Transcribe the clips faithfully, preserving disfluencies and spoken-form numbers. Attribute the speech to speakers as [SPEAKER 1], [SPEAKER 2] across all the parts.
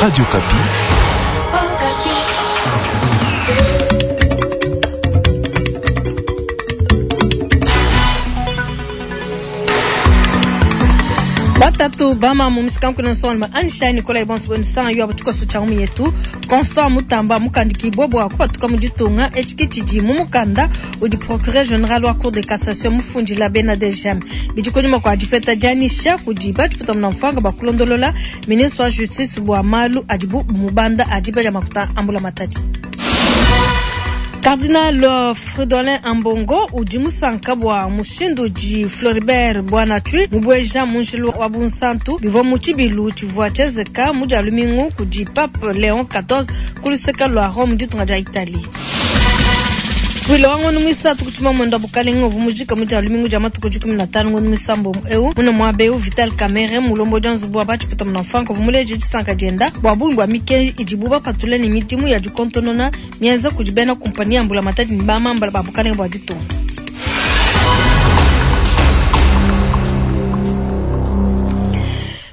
[SPEAKER 1] Radio Okapi.
[SPEAKER 2] Batatu bama mu mishikanku na nsonga anisha Nicolas Bonso bonsa yo abatuko cha mu yetu Constant Mutamba mukandikibwa bwa kupatuka mu ditunga echikiti mu mukanda udi procureur général wa cour de cassation mufundila bena D G M bidi kunyuma kwa dipeta dianisha kudi batipita mna bakulondolola ministre wa justice bwa malu adibu mubanda adiba ya makuta ambula matadi. Cardinal Fridolin Ambongo udi musanka bwa mushindu di Floribert Bwanatwi mubweja munjilu wa bunsantu bivwa mu tshibilu tshivua tshienzeka mu dia lumingu kudi Pape Léon quatorze ku luseke lua Rome ditunga dia Italie. Wilo wa ngono mwisatu kuchima mwendo wa bukalenga uvu mujika mu dia lumingu dia matuku dikumi na tanu ngono mwisambo eu muna mwabe eu Vital Kamerhe mulombo dia nzubu wa batshipeta muna mfanka uvu muleje disanka dienda bwa bungi bwa mikenji idibu bapatule ne midimu ya dikontonona mienza kudi bena kumpani ya mbula matadi ne bamambala ba bukalenga bua ditunga.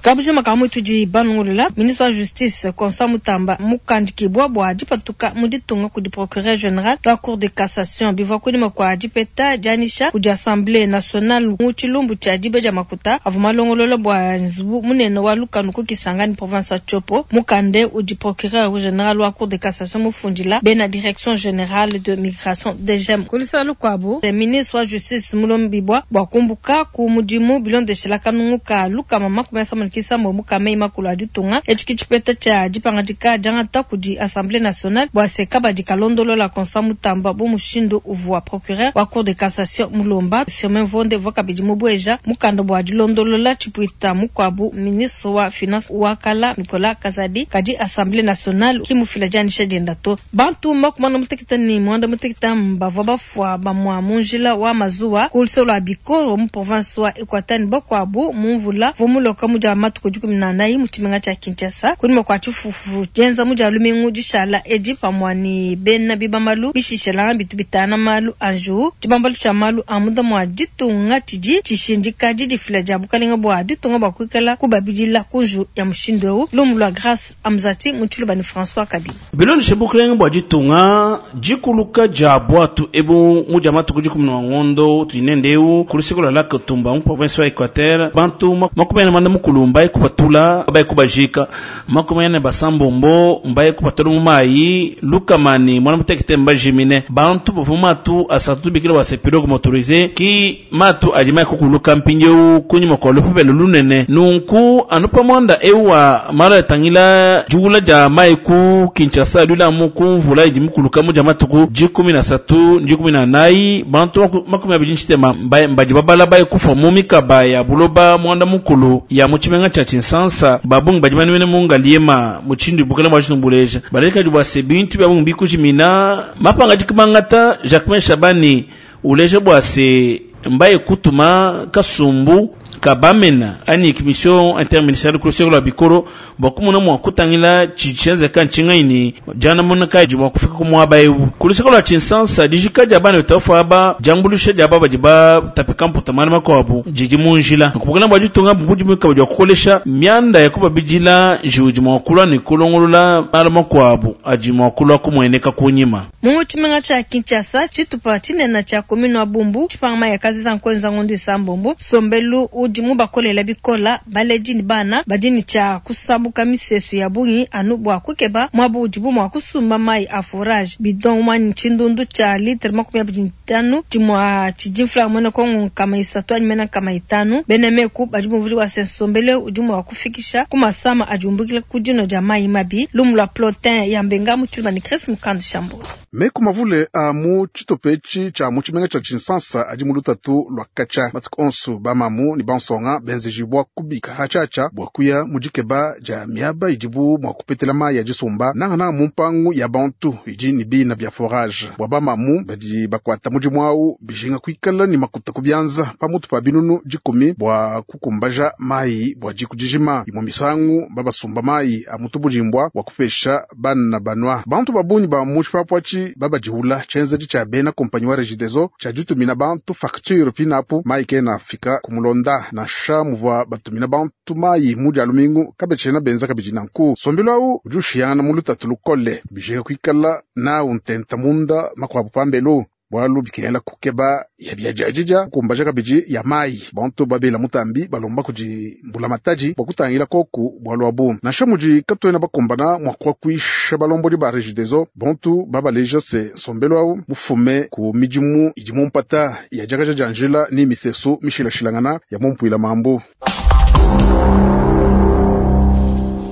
[SPEAKER 2] Kabujima kamwe tudi banungulula ministre wa justice Constant Mutamba mukandikibwa bwa dipatuka mu ditunga kudi procureur général wa cour de cassation bivwa kunyima kwa dipeta dianisha kudi assemblée nationale mu tshilumbu tshia dibe dia makuta avua malongolola bua nzubu munene wa lukanu ku Kisangani province wa Tshopo. Mukande udi procureur général wa cour de cassation mufundila bena direction générale de migration D G M kulusala lukuabu ministre wa justice mulombibwa bua kumbuka ku mudimu bilondeshela kanungu ka lukama makumi asambombo kisambo mukame makulu a ditunga etshi tshipeta tshia dipangadika diangata kudi assemblée nationale bua se kabadi kalondolola Constant Mutamba bu mushindu uvua procureur wa cour de cassation mulomba. Firmin Mvonde vua kabidi mubueja mukanda bua dilondolola tshipuita mukuabu ministre wa finance wa kala Nicolas Kazadi kadi assemblée nationale kimufila dianisha dienda to. Bantu makumi ana muteketa ni mwanda muteketa bavua bafua bamua mu njila wa mazuwa ku luseke lua Bikoro mu province wa Equateur bakuabu mu mvula vua muloka mu dia matuku dikumi na anayi mu tshimenga tshia Kinshasa kunyima kua tshifufu dienza mu dia lumingu dishala edi pamua ni bena bibamalu bishishelanga bitu bitana malu anju tshibambalu tshia malu a munda mua ditunga tshidi tshishindika didifila dia bukalenga bua ditunga bua kuikala kubabidila kunju ya mushindu eu. Lumu lua Grâce Amzati mu tshiluba ni François Kabi.
[SPEAKER 3] Bilondeshe bukalenga bua ditunga dikuluka dia bwatu ebu mu dia matuku dikumi na ngondo tuinende eu ku luseke lua lac Tumba mu province wa Equateur bantu makumi ane manda mukulu mbaye kupatula baye kubajika makumi ane basambombo mbaye kupatula mu mayi lukamani mwana mutekete mbajimine bantu bavua matu asatu bikila wa pirogue motorisée ki matu adi mayi kukuluka mpindieu kunyima kua lupepele lunene nunku anu pamwanda eu wa mala tangila juula dia mayi ku Kinshasa lulamu ku mvula idi mukuluka mu dia matuku dikumi na satu dikumi na nayi bantu makumi abidi ntshitema mbadi babala baye kufa mu mikaba ya buloba mwanda mukulu ya mu tshimenga tshia Tshinsansa babungi badi banwene mu Ngaliema mu tshindu bukala bua tshitumbuleja balekadi bua se bintu bia bungi bikujimina mapanga dikimangata Jacquemain Shabani uleja bua se mbaye kutuma kasumbu kabamena ani commission interministérielle ku luseke lua Bikoro bua kumona mua kutangila tshidi ntshingaini diana mona kaji bua kufika ku muaba eu ku luseke lua Tshinsansa dijika dia bana bitafu aba diambuluisha dia aba badi batapika mputa mana makuabu didi mu njila kubukana bua ditunga budimu kabidi bua kukolesha mianda ya kubabidila njiwu mua kulua ne kulongolola malu makuabu adi mua kulua kumueneka kunyima.
[SPEAKER 2] Mu tshimenga tshia Kinshasa tshitupa tshinene tshia commune wa Bumbu tshipanga mayi akaziza nkuenza ngondo isambombo sombelu udi mubakolela bikola baledi ni bana badi ni tshia kusabuka misesu ya bungi anu bua kukeba muabu udibu mua kusumba mayi a forage bidon mwani tshindundu tshia litre makumi abidi ntanu tshimua tshidi mfula mwene kongo nkama isatu anyi mena nkama itanu bene meku badi muvudi wa sensombele udi mua kufikisha ku masama adi umbukila ku dino dia mayi mabi. Lumu lua Plotin ya Mbenga mu tshiluba ni Chris Mukand Shambo.
[SPEAKER 4] Meku mavule a mu tshitope tshia mu tshimenga tshia Tshinsansa adi mu lutatu lua katshia matuku onso bamamu ni bansonga benzejibwa kubika hatshatsha bua kuya mu dikeba dia miaba idibu mua kupetela mayi ya disumba nangana mu mpangu ya bantu idi ni bina bia forage bua bamamu badi bakuata mudimu awu bijinga kuikala ni makuta ku bianza pamutu pa binunu dikumi bua kukumbaja mayi bua diku dijima imue misangu babasumba mayi a mutu budimbwa bua kupesha bana banwa bantu babunyi ba mu tshipapua Patshi babadiwula tshienzedi tshia bena kompanyi wa Regideso tshia ditumina bantu facture pinapu mayi kena afika kumulonda nansha muvua batumina bantu mayi mu dia lumingu kabetshena benza kabidi nanku nsombelu awu udi ushiyangana mu lutatu lukole bijinga kuikala nawu ntenta munda makuabu pambelu bwalu bikengela kukeba ya biadiadidia kukumbaja kabidi ya mayi bantu babela mutambi balomba kudi mbulamatadi bua kutangila koku bwalu abu nansha mudi katuena bakumbana mua kuakuisha balombodi ba Regideso bantu babaleja se nsombelu awu mufume ku midimu idi mumpata ya diakaja dia njila ni misesu mishilashilangana ya mumpuila mambu.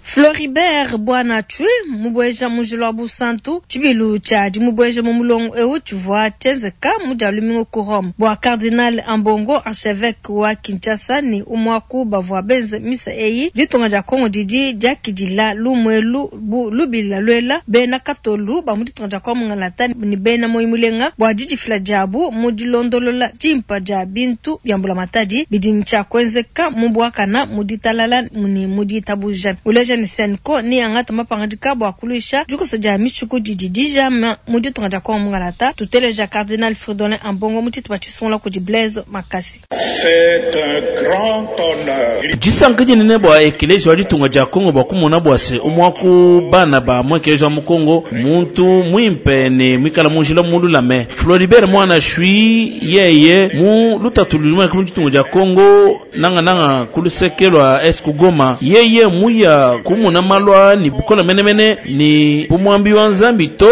[SPEAKER 2] Floribert Bwana Chui mubweja mujilo wa busantu tshibilu tshia dimubweja mu mulongo eu tshivua tshienzeka mu dia lumingu ku Rome bua Cardinal Ambongo archevêque wa Kinshasa ni umwaku bavua benze misa eyi ditunga dia Kongo didi diakidila lumwelu bu lubila lwela bena katolu ba mu ditunga dia Kongo ngalata ni bena moyi mulenga bua didifila diabu mu dilondolola dimpa dia bintu bia mbulamatadi bidi ntshia kuenzeka mu bwakana mu ditalala ni mu ditabuja uleja ni Senko ni angata mapangadika bua kuluisha dikosa dia mishiku didi dijama mu ditunga dia Kongo mungalata tuteleja Cardinal Fridolin Ambongo mu tshitupa tshisungula kudi Blaise Makasi.
[SPEAKER 1] C'est un grand honneur.
[SPEAKER 3] Disanka dinene bua ekelezi wa ditunga dia Kongo bua kumona bua se umwaku bana ba mu ekelezi wa mu Kongo muntu mwimpe ne mwikala munjila mululame Floribert Mwana Chui yeye mu lutatu luluma ku ditunga dia Kongo nanga nanga kulusekelwa esku Goma yeye muya kumuna malwa ni bukola menemene ni bumwambi wa nzambi to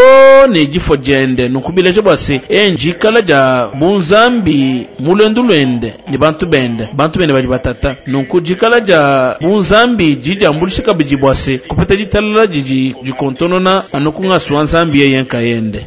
[SPEAKER 3] ne jifo jende nukubileje bwase enjikala ja bunzambi mulendu lwende ni bantu bende bantu bende bali batata nunku jikala ja bunzambi jija mbulishika biji bwase kupeta jitalala jiji jikontonona anukunga suwa nzambi yeye nkayende.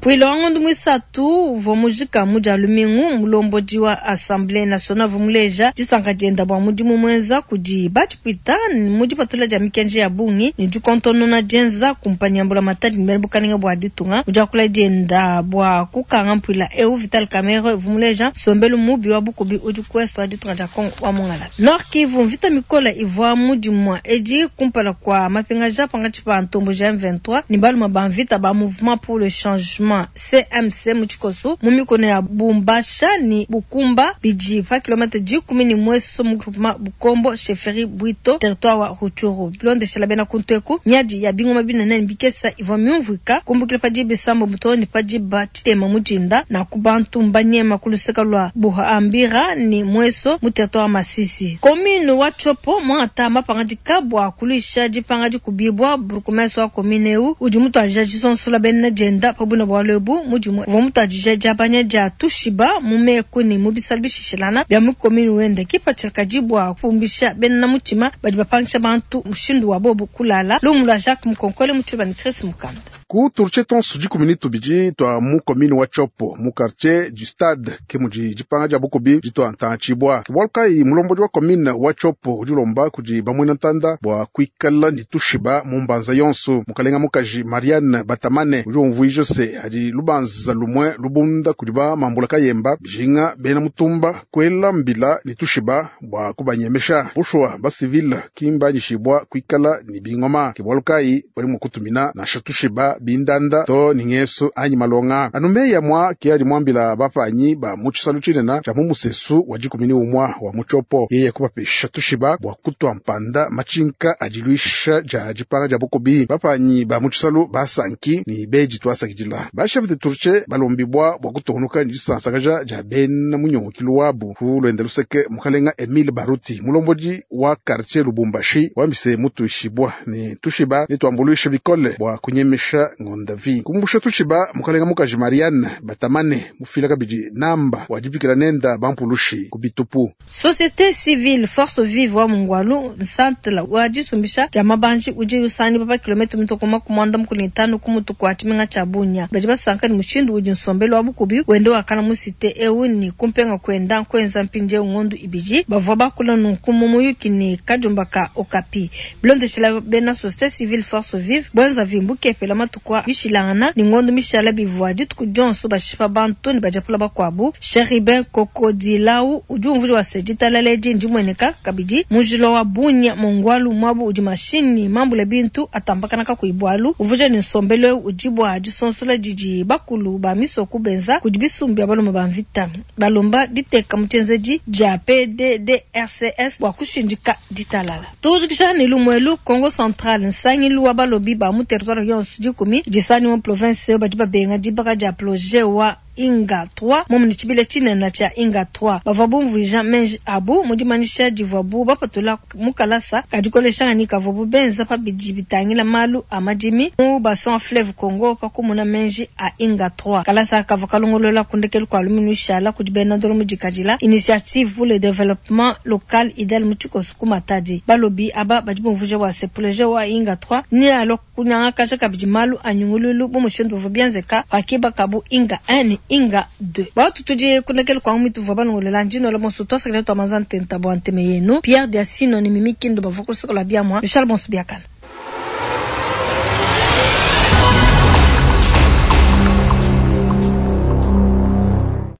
[SPEAKER 2] Pwilo wangondo mwisatu uvua mujika muja lumingu mulombodi wa Assemblée nationale vumuleja disanka dienda bua mudimu mwenza kudi batshipwita mu dipatula dia mikenji ya bungi ni dikontonona dienza kumpanya mbulamatadi ni bukalenga bua ditunga mudiakula dienda bua kukanga mpwila eu Vital Kamerhe vumuleja sombelu mubi wa bukubi udi kuesto wa ditunga dia Kongo wa mungala Nord Kivu mvita mikola ivua mudimwa edi kumpala kwa mapingaja pangatshi pa ntombo ja M vingt-trois ni baluma ba mvita ba mouvement pour le changement C M C muchikoso mumikono ya Bumbasha ni Bukumba biji pa kilomita dikumi ni mweso mu groupement Bukombo chefferie Bwito territoire wa Rutshuru bilonde shala bena kuntweku nyadi ya bingoma binene bikesa ivua myumvika kumbukila padi bisambo mutoni padi batitema mujinda na kubantu mbanyema kuluseka lwa Buhambira ni mweso mu territoire wa Masisi commune wa Tshopo mwata mapangadika bua kulisha dipanga dikubibwa burkumesa wa commune eu udi mutu aja disonsola bena jenda pabuna bua lebu mudimu vomutadija diabanya dia tushiba mumeku ni mubisala bishishilana bia mu commune wende kipatshila dibua kupumbisha bena mutima badi bapangisha bantu mushindu wa bobu kulala lumu lwa Jacques Mukonkole mutshiba ni Chris Mukanda.
[SPEAKER 4] Ku turche tonso dikumi tubidi twa mu commune wa Tshopo mu quartier du stade ke mudi dipanga dia bukubi ditwa ntantshibwa ke kai mulombodi wa commune wa Tshopo udi ulomba kudi bamwena ntanda bua kuikala ni tushiba mu mbanza yonso mukalenga mukaji Marianne Batamane udi umvuija se adi lubanza lumwe lubunda kudi ba mambula kayemba bijinga bena mutumba kwela mbila ni tushiba bua kubanyemesha bushwa ba civil kimbanyishibwa kuikala ni bingoma ke kai bali mu kutumina nasha tushiba bindanda to ningeso anyi malonga anumeya mwa ke ali mwambila bapanyi ba muchisalu chinena cha mumusesu wa jikumini umwa wa muchopo yeye kubapesha tushiba bua kutwa mpanda machinka ajilwisha ja jipanga ja bukubi bapanyi ba muchisalu basanki ni beji twasakidila ba chef de turche balombibwa bua kutonuka ni disansakaja ja bena munyongokilu wabu ku lwenda luseke mukalenga Emile Baruti mulombodi wa quartier Lubumbashi wambise mutuishibwa ni tushiba ni twambuluisha bikole bua kunyemesha ngondavi kumbusha tushiba mukalenga mukaji Marianne Batamane mufila kabidi namba wajibikila nenda bampulushi kubitupu.
[SPEAKER 2] Société civile force vive wa mungwalu nsantla wajisumbisha jama banji udi usani papa kilomita mitokoma kumwanda mukuni tano kumutu kwa chimenga cha Bunya baji basanka ni mushindu udi nsombelo wa bukubi wende wakana musite eu ni kumpenga kwenda kwenza mpinje ngondu ibiji bavua bakula nunkumu muyuki ni kajumba ka Okapi bilondeshela bena société civile force vive bwenza vimbuke pela matu matuku aa bishilangana ne ngondo mishala bivua dituku dionso bashipa bantu ne badiapula bakuabu. Chérubin Kokodilau udi umvuija bua se ditalala edi ndimueneka kabidi mu njila wa Bunia Mongbwalu muabu udi mashinyi mambule bintu atambakana kakuyi bualu. Uvuija ne nsombelu eu udi bua disonsola didi bakulu ba misoko benza kudi bisumbu bia balume ba mvita balomba diteka mu tshienzedi dia P D D R C S bua kushindika ditalala. Tujikisha ne lumuelu Kongo Central nsangilu wa balobi ba mu territoire yonso dikumi disani mu province badi babenga dibaka dia projet wa Inga trois momu tshibila tshinene tshia Inga trois bavua bumvuija menji abu mu dimanyisha divuabu bapatula mu kalasa kadikoleshangani kavuabu benza pa bidi bitangila malu a madimi mu bassin wa fleuve Congo pa kumuna menji a Inga trois. Kalasa kavua kalongolola ku ndekelu kua lumingu ishala kudi bena ndolo mudikadila Initiative pour le développement local idel mu tshikoso ku Matadi. Balobi aba badi bumvuija bua se projet wa Inga trois ni alo kunyangakaja kabidi malu a nyungululu bu mushindu buvua bienzeka pakibakabu Inga un ne Inga deux. Batu tudi kunekele kwa mitu vwa balongolela ndino la bonso twasakile twa manza ntenta bwa nteme yenu Pierre Diasino ni Mimi Kindo bavua kusokola biamwa Michel Bonso biakana.